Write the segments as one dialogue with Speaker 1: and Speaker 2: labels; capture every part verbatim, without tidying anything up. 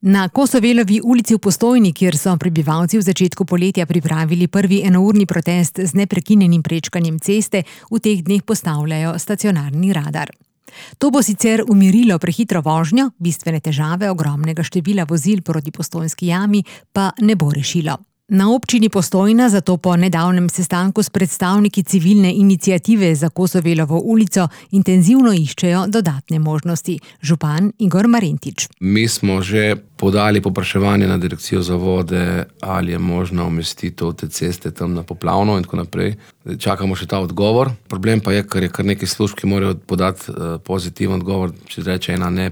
Speaker 1: Na Kosovelovi ulici v Postojni, kjer so prebivalci v začetku poletja pripravili prvi enourni protest z neprekinjenim prečkanjem ceste, v teh dneh postavljajo stacionarni radar. To bo sicer umirilo prehitro vožnjo, bistvene težave ogromnega števila vozil proti Postojnski jami pa ne bo rešilo. Na občini Postojna zato po nedavnem sestanku s predstavniki civilne iniciative za Kosovelovo ulico intenzivno iščejo dodatne možnosti. Župan Igor Marentič.
Speaker 2: Mi smo že podali popraševanje na direkcijo za vode, ali je možno umestitev te ceste tam na poplavno in tako naprej. Čakamo še ta odgovor. Problem pa je, ker je kar nekaj služb, ki morajo podati pozitiven odgovor, če reče ena ne,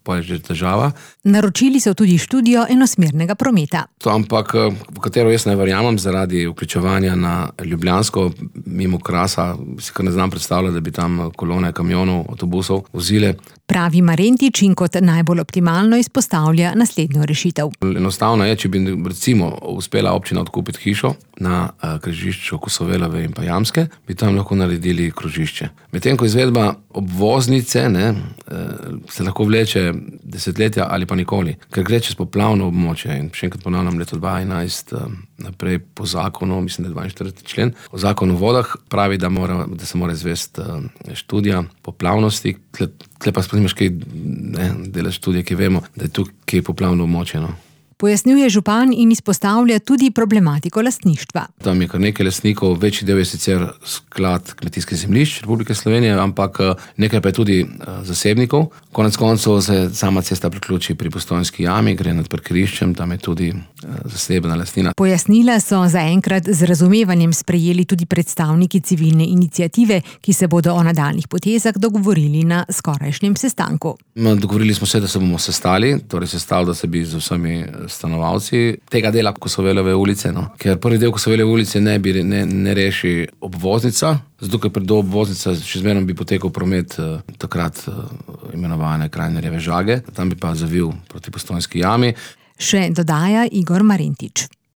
Speaker 2: pa je že težava.
Speaker 1: Naročili so tudi študijo enosmernega prometa.
Speaker 2: To, ampak v katero jaz ne verjamem zaradi vključevanja na Ljubljansko mimo Krasa, si kar ne znam predstavljati, da bi tam kolone kamionov, avtobusov vozile.
Speaker 1: Pravi Marentič in kot najbolj optimalno izpostavlja naslednjo rešitev.
Speaker 2: Enostavno je, če bi recimo uspela občina odkupiti hišo na križišču Kosovelove in pa Jamske, bi tam lahko naredili krožišče. Medtem ko izvedba obvoznice ne, se lahko vleče desetletja ali pa nikoli, ker gre čez poplavno območje. In še enkrat ponavljam, leto dva tisoč enajst naprej po zakonu, mislim, da je dvainštirideseti člen, o zakonu o vodah pravi, da, mora, da se mora izvesti študija poplavnosti. Tle, tle pa spremljaš kaj ne, delaš študije, ki vemo, da je tukaj poplavno območje. No.
Speaker 1: Pojasnjuje župan in izpostavlja tudi problematiko lastništva.
Speaker 2: Tam je kar nekaj lastnikov, večji del je sicer sklad kmetijskih zemljišč Republike Slovenije, ampak nekaj pa je tudi zasebnikov. Konec koncev se sama cesta priključi pri Postojnski jami, gre nad parkiriščem, tam je tudi zasebna lastnina.
Speaker 1: Pojasnila so zaenkrat z razumevanjem sprejeli tudi predstavniki civilne iniciative, ki se bodo o nadaljnjih potezah dogovorili na skorajšnjem sestanku.
Speaker 2: Dogovorili smo se, da se bomo sestali, torej sestali, da se bi z vsemi stanovalci tega dela Kosovelove ulice, no. Ker prvi del Kosovelove ulice ne, bi, ne, ne reši obvoznica, zato ker do obvoznica še zmeraj bi potekal promet eh, takrat eh, imenovane Krajnerjeve žage, tam bi pa zavil proti Postojnski jami.
Speaker 1: Še dodaja Igor Marentič.